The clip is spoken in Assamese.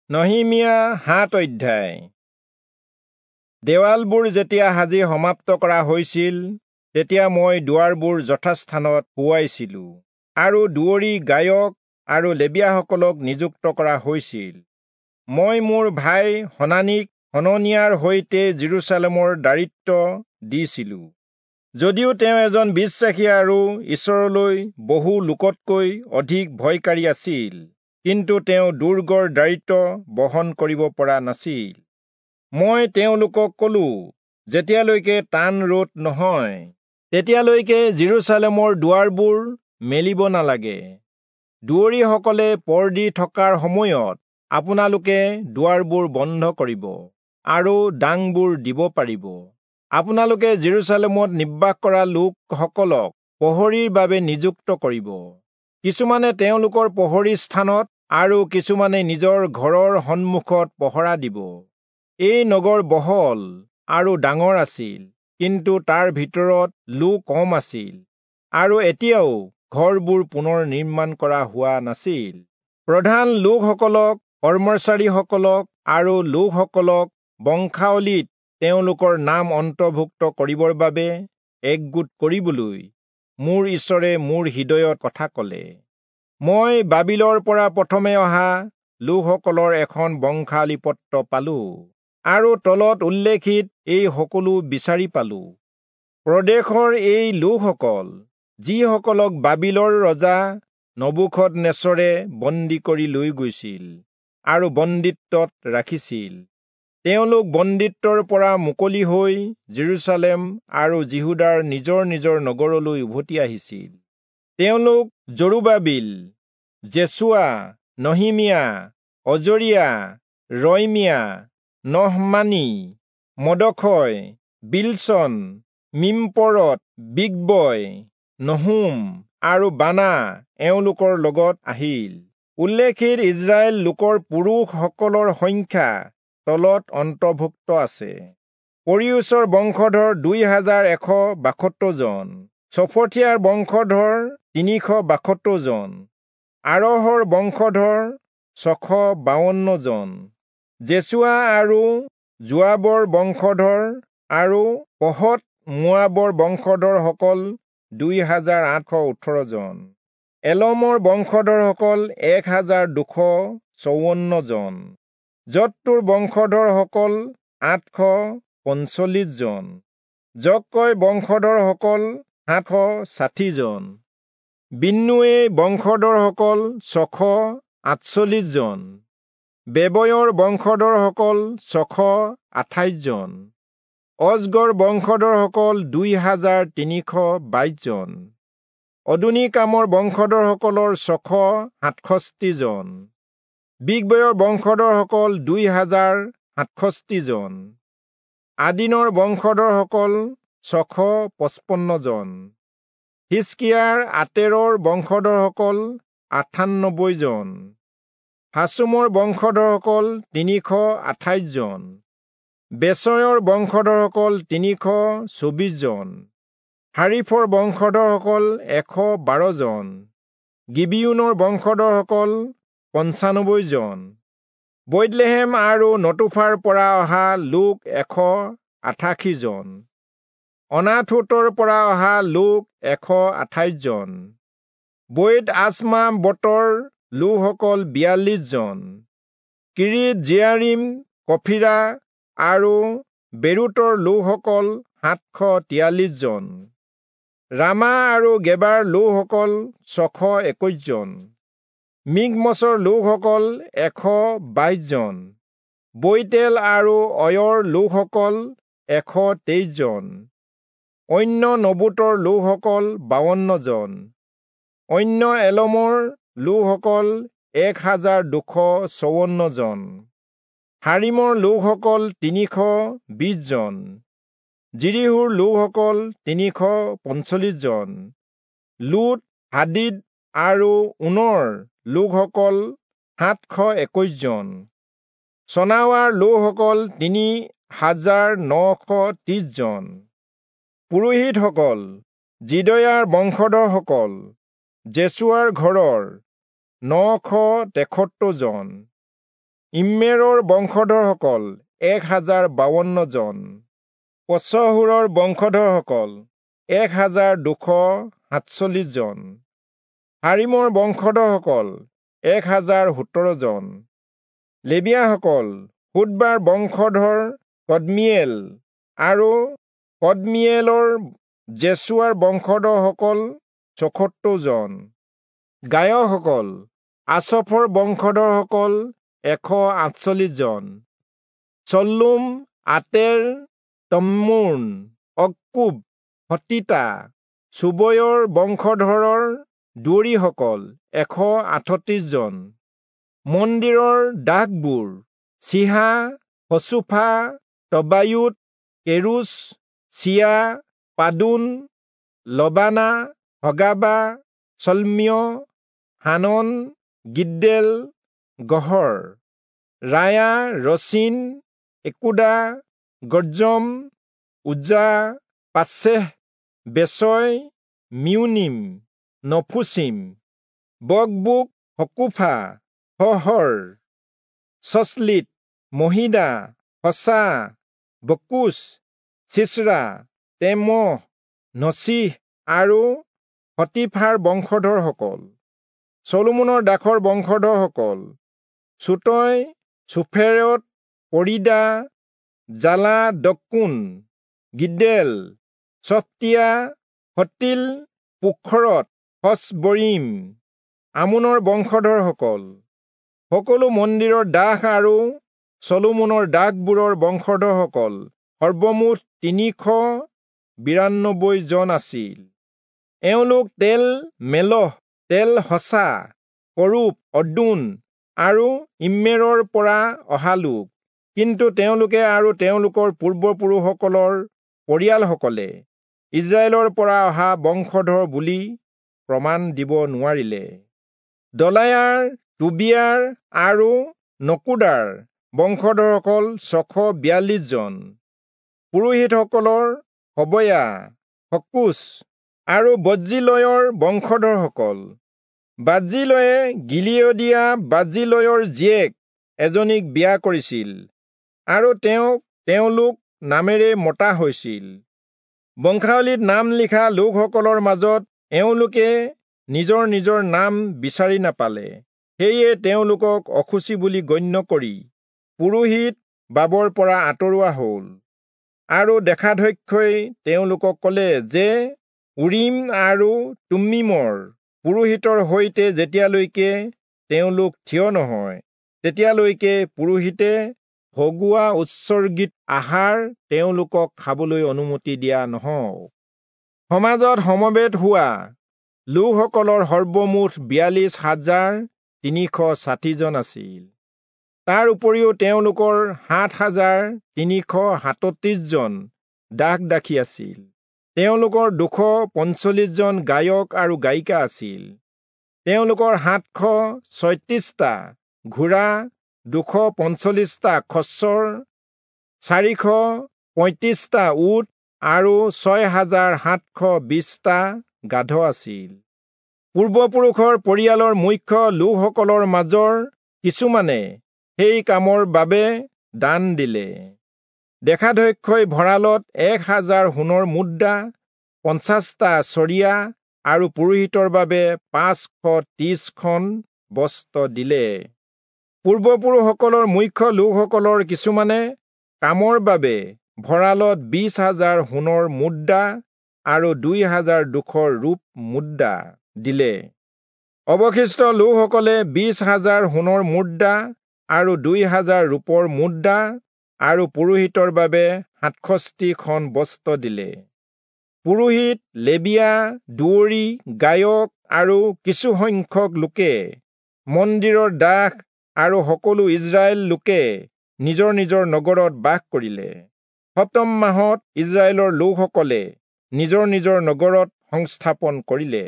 নহিমিয়া 7 অধ্যায়। দেৱালবোৰ যেতিয়া সাজি সমাপ্ত কৰা হৈছিল, তেতিয়া মই দুৱাৰবোৰ যথাস্থানত শুৱাইছিলো আৰু দুৱৰী, গায়ক আৰু লেবীয়াসকলক নিযুক্ত কৰা হৈছিল। মই মোৰ ভাই হনানিক হননিয়াৰ সৈতে যিৰূচালেমৰ দায়িত্ব দিছিলো, যদিও তেওঁ এজন বিশ্বাসী আৰু ঈশ্বৰলৈ বহু লোকতকৈ অধিক ভয়কাৰী আছিল, কিন্তু তেওঁ দুৰ্গৰ দায়িত্ব বহন কৰিব পৰা নাছিল। মই তেওঁলোকক কলো, যেতিয়ালৈকে টান ৰ'দ নহয় তেতিয়ালৈকে যিৰূচালেমৰ দুৱাৰবোৰ মেলিব নালাগে। দুৱৰীসকলে পৰ দি থকাৰ সময়ত আপোনালোকে দুৱাৰবোৰ বন্ধ কৰিব আৰু ডাংবোৰ দিব পাৰিব। আপোনালোকে যিৰূচালেমত নিবাস কৰা লোকসকলক প্ৰহৰীৰ বাবে নিযুক্ত কৰিব। কিছুমানে তেওঁলোকৰ প্ৰহৰী স্থানত আৰু কিছুমানে নিজৰ ঘৰৰ সন্মুখত পহৰা দিব। এই নগৰ বহল আৰু ডাঙৰ আছিল, কিন্তু তাৰ ভিতৰত লোক কম আছিল আৰু এতিয়াও ঘৰবোৰ পুনৰ নিৰ্মাণ কৰা হোৱা নাছিল। প্ৰধান লোকসকলক, কৰ্মচাৰীসকলক আৰু লোকসকলক বংশাৱলীত তেওঁলোকৰ নাম অন্তৰ্ভুক্ত কৰিবৰ বাবে একগোট কৰিবলৈ মোৰ ঈশ্বৰে মোৰ হৃদয়ত কথা কলে। মই বাবিলৰ পৰা প্ৰথমে অহা লোকসকলৰ এখন বংশাৱলী পত্ৰ পালো আৰু তলত উল্লেখিত এই সকলো বিচাৰি পালো। প্ৰদেশৰ এই লোকসকল, যিসকলক বাবিলৰ ৰজা নবূখদনেচৰে বন্দী কৰি লৈ গৈছিল আৰু বন্দীত্বত ৰাখিছিল, তেওঁলোক বন্দীত্বৰ পৰা মুকলি হৈ যিৰূচালেম আৰু যিহূদাৰ নিজৰ নিজৰ নগৰলৈ উভতি আহিছিল। তেওঁলোক জৰুবাবিল, যেচুৱা, নহিমিয়া, অজৰিয়া, ৰয়মিয়া, নহমানী, মদখয়, বিলচন, মিম্পৰত, বিগবয়, নহুম আৰু বানা এওঁলোকৰ লগত আহিল। উল্লেখিত ইজৰাইল লোকৰ পুৰুষসকলৰ সংখ্যা তলত অন্তৰ্ভুক্ত আছে। পৰিয়োচৰ বংশধৰ 2172 জন, চফথিয়াৰ বংশধৰ 372 জন, আৰহৰ বংশধৰ 652 জন, যেচুৱা আৰু যোৱাবৰ বংশধৰ আৰু পহত মোৱাবৰ বংশধৰসকল 2818 জন, এলমৰ বংশধৰসকল 1254 জন, জত্তুৰ বংশধৰসকল 845 জন, জক্কয় বংশধৰসকল 760 জন, বিন্নুৱে বংশধৰসকল 648 জন, বেবয়ৰ বংশধৰসকল 628 জন, অজগৰ বংশধৰসকল 2322 জন, অদুনিকামৰ বংশধৰসকলৰ 667 জন, বিগবয়ৰ বংশধৰসকল 2067 জন, আদিনৰ বংশধৰসকল 655 জন, হিচকিয়াৰ আতেৰৰ বংশধৰসকল 98 জন, হাচুমৰ বংশধৰসকল 328 জন, বেচয়ৰ বংশধৰসকল 324 জন, হাৰিফৰ বংশধৰসকল 112 জন, গিবিয়োনৰ বংশধৰসকল 95 জন, বৈৎলেহেম আৰু নতুফাৰ পৰা অহা লোক 188 জন, অনাথোতৰ পৰা অহা লোক 128 জন, বৈৎ আচমা বতৰ লোকসকল 42 জন, কিৰিত জিয়াৰিম, কফিৰা আৰু বেৰুতৰ লোকসকল 743 জন, ৰামা আৰু গেবাৰ লোকসকল 621 জন, মিগমচৰ লোকসকল 122 জন, বৈতেল আৰু অয়ৰ লোকসকল 123 জন, অন্য নবুতৰ লোকসকল 52 জন, অন্য এলমৰ লোকসকল 1254 জন, হাৰিমৰ লোকসকল 320 জন, জিৰিহুৰ লোকসকল 345 জন, লুট, হাদিদ আৰু ঊনৰ লোকসকল 721 জন, চনাৱাৰ লোকসকল 3930 জন, পুৰোহিতসকল যিদয়াৰ বংশধৰসকল যেচুৱাৰ ঘৰৰ 973 জন। ইম্মেৰৰ বংশধৰসকল 1052 জন। পচহূৰৰ বংশধৰসকল 1247 জন। হাৰিমৰ বংশধৰসকল 1017 জন। লেবীয়াসকল হোদবাৰ বংশধৰ কদমীয়েল আৰু কদমীয়েলৰ যেচুৱাৰ বংশধৰসকল 74 জন। গায়কসকল আচফৰ বংশধৰসকল 148 জন। চল্লুম, আতেৰ, তম্মোন, অক্কুব, হতীতা, চোবয়ৰ বংশধৰৰ দুৱৰীসকল 138 জন। মন্দিৰৰ দাসবোৰ চিহা, হচুফা, তবায়ুত, কেৰুচ, চিয়া, পাদোন, লবানা, হগাবা, চল্মীয়, হানন, গিদ্দেল, গহৰ, ৰায়া, ৰচিন, একোদা, গজ্জম, উজ্জা, পাচেহ, বেচয়, মিউনিম, নফুচিম, বকবুক, হকুফা, হহৰ, চচলিত, মহিদা, হচা, বকুচ, চিচৰা, তেমহ, নচিহ আৰু হতীফাৰ বংশধৰসকল। চলোমনৰ দাসৰ বংশধৰসকল চুতয়, চুফেৰত, পৰিদা, জালা, দকুন, গিদেল, চফতিয়া, হতিল, পোখৰত, হচবৰীম, আমোনৰ বংশধৰসকল। সকলো মন্দিৰৰ দাস আৰু চলোমনৰ দাসবোৰৰ বংশধৰসকল সৰ্বমুঠ 392 জন আছিল। এওঁলোক তেল মেলহ, তেল হচা, কৰূপ, অদোন আৰু ইম্মেৰৰ পৰা অহা লোক। কিন্তু তেওঁলোকে আৰু তেওঁলোকৰ পূৰ্বপুৰুষসকলৰ পৰিয়ালসকলে ইজৰাইলৰ পৰা অহা বংশধৰ বুলি প্ৰমাণ দিব নোৱাৰিলে। দলায়াৰ, টোবিয়াৰ আৰু নকুদাৰ বংশধৰসকল 642 জন। পুৰোহিতসকলৰ হবয়া, হকুচ আৰু বজ্জিলয়ৰ বংশধৰসকল। বাজ্জিলয়ে গিলিয়দীয়া বাজ্জিলয়ৰ জীয়েক এজনীক বিয়া কৰিছিল আৰু তেওঁক তেওঁলোক নামেৰে মতা হৈছিল। বংশাৱলীত নাম লিখা লোকসকলৰ মাজত এওঁলোকে নিজৰ নিজৰ নাম বিচাৰি নাপালে, সেয়ে তেওঁলোকক অশুচি বুলি গণ্য কৰি পুৰোহিত বাবৰ পৰা আঁতৰোৱা হ'ল। আৰু দেশাধ্যক্ষই তেওঁলোকক ক'লে যে উৰিম আৰু তুম্মীমৰ পুৰোহিতৰ সৈতে যেতিয়ালৈকে তেওঁলোক থিয় নহয়, তেতিয়ালৈকে পুৰোহিতে ভগোৱা উৎসৰ্গিত আহাৰ তেওঁলোকক খাবলৈ অনুমতি দিয়া নহওক। সমাজত সমবেত হোৱা লোকসকলৰ সৰ্বমুঠ 42,360 জন আছিল। তাৰ উপৰিও তেওঁলোকৰ 7,337 জন দাস দাসী আছিল। তেওঁলোকৰ 245 জন গায়ক আৰু গায়িকা আছিল। তেওঁলোকৰ 736টা ঘোঁৰা, 245টা খচ্চৰ, 435টা উট আৰু 6,720টা গাধ আছিল। পূৰ্বপুৰুষৰ পৰিয়ালৰ মুখ্য লোকসকলৰ মাজৰ কিছুমানে সেই কামৰ বাবে দান দিলে। দেশাধ্যক্ষই ভঁৰালত 1,000 সোণৰ মুদ্ৰা, 50টা চৰিয়া আৰু পুৰোহিতৰ বাবে 530খন বস্ত্ৰ দিলে। পূৰ্বপুৰুষসকলৰ মুখ্য লোকসকলৰ কিছুমানে কামৰ বাবে ভঁৰালত 20,000 সোণৰ মুদ্ৰা আৰু 2,200 ৰূপ মুদ্ৰা দিলে। অৱশিষ্ট লোকসকলে 20,000 সোণৰ মুদ্ৰা আৰু 2,000 ৰূপৰ মুদ্ৰা আৰু পুৰোহিতৰ বাবে 67খন বস্ত্ৰ দিলে। পুৰোহিত, লেবীয়া, দুৱৰী, গায়ক আৰু কিছুসংখ্যক লোকে, মন্দিৰৰ দাস আৰু সকলো ইজৰাইল লোকে নিজৰ নিজৰ নগৰত বাস কৰিলে। সপ্তম মাহত ইজৰাইলৰ লোকসকলে নিজৰ নিজৰ নগৰত সংস্থাপন কৰিলে।